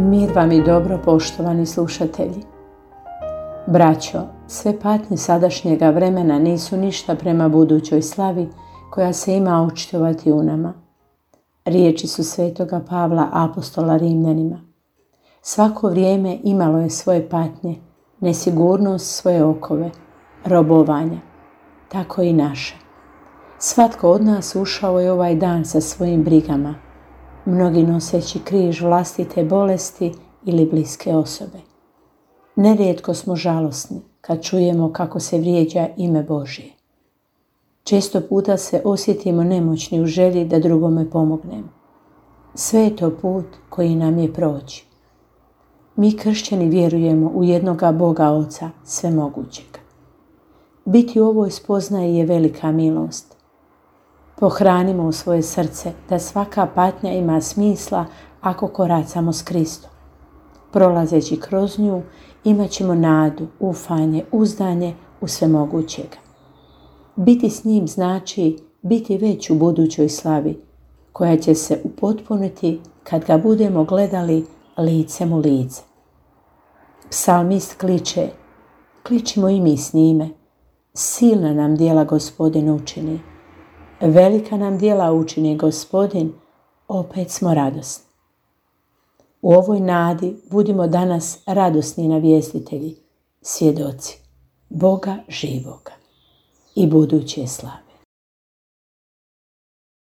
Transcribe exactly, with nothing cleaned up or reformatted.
Mir vam i dobro, poštovani slušatelji. Braćo, sve patnje sadašnjega vremena nisu ništa prema budućoj slavi koja se ima očitovati u nama. Riječi su svetoga Pavla, apostola Rimljanima. Svako vrijeme imalo je svoje patnje, nesigurnost svoje okove, robovanja. Tako i naše. Svatko od nas ušao je ovaj dan sa svojim brigama, mnogi noseći križ vlastite bolesti ili bliske osobe. Nerijetko smo žalosni kad čujemo kako se vrijeđa ime Božje. Često puta se osjetimo nemoćni u želji da drugome pomognemo. Sve je to put koji nam je proći. Mi kršćani vjerujemo u jednoga Boga Oca svemogućeg. Biti u ovoj spoznaji je velika milost. Pohranimo u svoje srce da svaka patnja ima smisla ako koracamo s Kristom. Prolazeći kroz nju imat ćemo nadu, ufanje, uzdanje u svemogućega. Biti s njim znači biti već u budućoj slavi, koja će se upotpuniti kad ga budemo gledali licem u lice. Psalmist kliče, kličimo i mi s njime. Silna nam djela Gospodin učini. Velika nam djela učini Gospodin, opet smo radosni. U ovoj nadi budimo danas radosni navjestitelji, svjedoci Boga živoga i buduće slave.